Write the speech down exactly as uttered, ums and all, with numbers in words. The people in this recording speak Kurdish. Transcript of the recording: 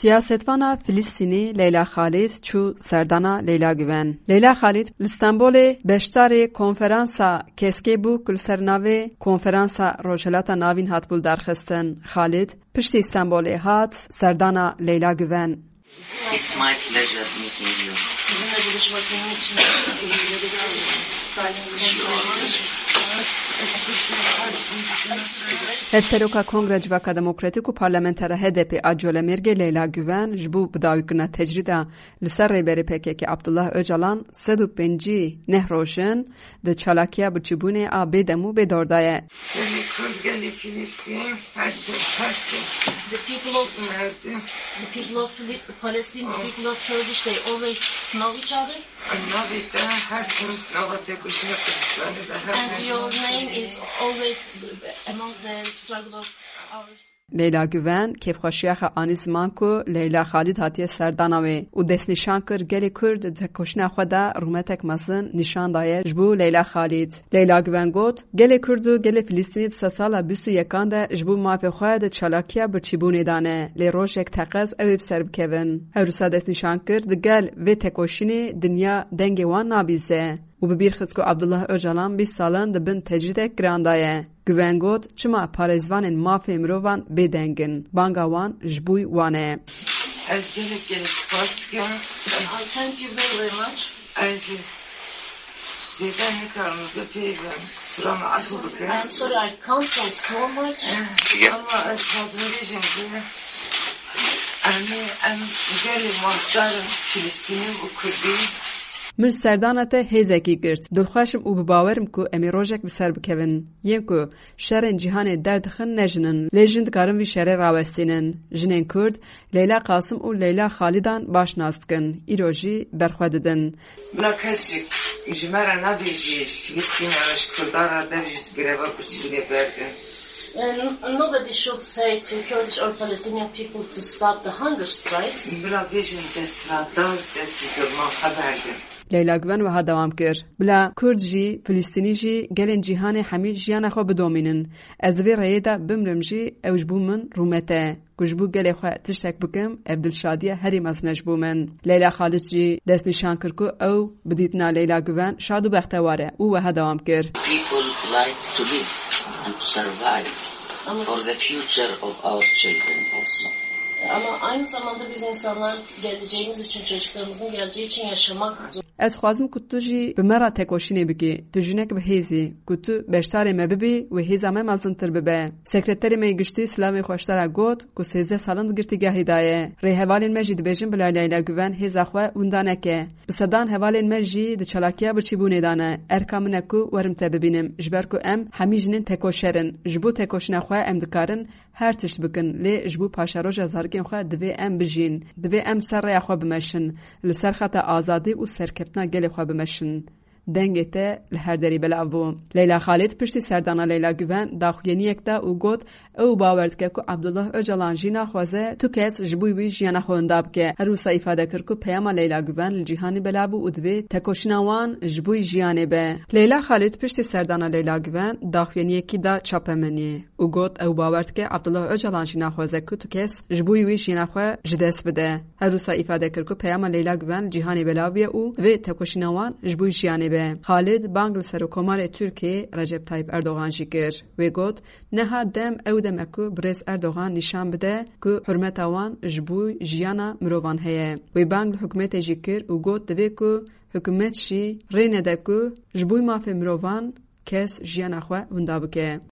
Siyasetvana Filistînî Leyla Xalîd çû serdana Leyla Guven. Leyla Xalîd li Stenbolê beşdarê konferansa keskê bû ku li ser navê Konferansa Rojhilata Navîn hatibû lidarxistin. Xalîd piştî Stenbolê hat serdana Leyla Guven. It's my pleasure meeting you. Sizinle buluşmak benim için. Hevseroka Kongre Civaka Demokratîk û parlamentera H D P a Colemêrgê Leyla Guven ji bo bidawîkirina tecrîda li ser rêberê P K K Abdullah Ocalan sed û pêncî neh roj in di çalakiya birçîbûnê a bêdem û bêdor de ye. Gelê Kurd, gelê Filistîn, her tim, her tim. The people of, Merdim. The people of Fili-, Palestine, the people of Kurdish, they always know each other. Navê te her tim nava têkoşîna Kurdistanê de her And tim. Your name is always among the struggle of our Leyla Guven kêfxweşiya xwe anî ziman ku Leyla Xalîd hatiye serdana wê û destnîşan kir gelê Kurd di tekoşîna xwe de rûmetek mezin nîşan daye ji bo Leyla Xalîd. Leyla Guven got, gelê Kurd û gelê Filistînî di sedsala bîst û yekan de ji bo mafê xwe di çalakiya birçîbûnê de ne, lê rojek teqez ew ê bi ser bikevin. Her wisa destnîşan kir, di gel vê tekoşînê dinya dengê wan nabîze û bi bîr xist ku Abdullah Ocalan bîst sal in di bin tecrîdek giran de ye. Guven got, çima parêzvanên mafê mirovan bêdeng in? Banga wan ji bo wan e. Ez gelek gelek spas dikim. I thank you very, very much. Ez zêde nikarim bipeyivim. Kusura min efû bikin. I'm sorry, I can't talk so much. Ama ez dixwazim bêjim ku em ê, em gelê mafdar in, Filistînî û Kurdî. Min serdana te hêzekî girt. Dilxweş im û bi bawer im ku em ê rojek bi ser bikevin. Yên ku şerên cîhanê derdixin ne jin in, lê jin dikarin vî şerê rawestînin. Jinên Kurd Leyla Qasim û Leyla Xalîdan baş nas dikin. Îro jî berxwe didin. Bila kes jî ji me re nabêjî, ji Filistîna re, ji Kurdan re dev jî di greva birçîbûnê berdin. And nobody should say to Kurdish or Palestinian people to stop the hunger strikes. Bila bêjin dest ve da, dest ji zulman xwe berdin. Leyla Guven wiha dewam kir, bila Kurd jî, Filistînî jî, gelên cîhanê hemî jiyana xwe bidomînin. Ez di vê rêyê de bimrim jî, ew ji bo min rûmet e. Ku ji bo gelê xwe tiştek bikim, ev dilşadiya herî mezin e ji bo min. Leyla Xalid jî destnîşan kir ku ew bi dîtina Leyla Guven şad û bextewar e û wiha dewam kir. People like to live and to survive for the future of our children also. Ama aynı zamanda biz insanlar geleceğimiz için, çocuklarımızın geleceği için yaşamak zor- Ez dixwazim ku tu jî bi me re tekoşînê bikî. Tu jinek bi hêz î. Ku tu beşdarê me bibî, wê hêza me mezintir bibe. Sekreterê me yê giştî silavê xwe ji te re got ku sêzdeh sal in di girtîgehê de ye. Rêhevalên me jî dibêjin bila Leyla Guven hêza xwe winda neke. Bi sedan hevalên me jî di çalakiya birçîbûnê de ne. Erka min e ku werim te bibînim, ji ber ku em hemî jinên tekoşer in. Ji bo tekoşîna xwe em dikarin her tişt bikin, lê ji bo paşeroja zarokên xwe divê em bijîn. Divê em ser rêya xwe bimeşin, li ser xeta azadî û serkeftina gelê xwe bimeşin. Dengê te li her derî belav bû. Leyla Xalid piştî serdana Leyla Guven daxuyaniyek da û got, ew bawer dike ku Abdullah Ocalan jî naxwaze tu kes ji bo wî jiyana xwe winda bike. Her wisa îfade kir ku peyama Leyla Guven li cîhanê belav bû û divê tekoşîna wan ji bo jiyanê be. Leyla Xalid piştî serdana Leyla Guven daxuyaniyekî da çapemeniyê û got, ew bawer dike Abdullah Ocalan jî naxwaze ku tu kes ji bo wî jiyana xwe ji dest bide. Her wisa îfade kir ku peyama Leyla Guven li cîhanê belav bûye û divê tekoşîna wan ji bo jiyanê be. Xalid bang li Serokkomarê Tirkiyê Recep Tayyip Erdogan jî kir. Wê got, niha dem ew dem e ku birêz Erdogan nîşan bide ku hurmeta wan ji bo jiyana mirovan heye. Wê bang li hikûmetê jî kir û got, divê ku hikûmet jî rê nede ku ji bo mafê mirovan kes jiyana xwe winda bike.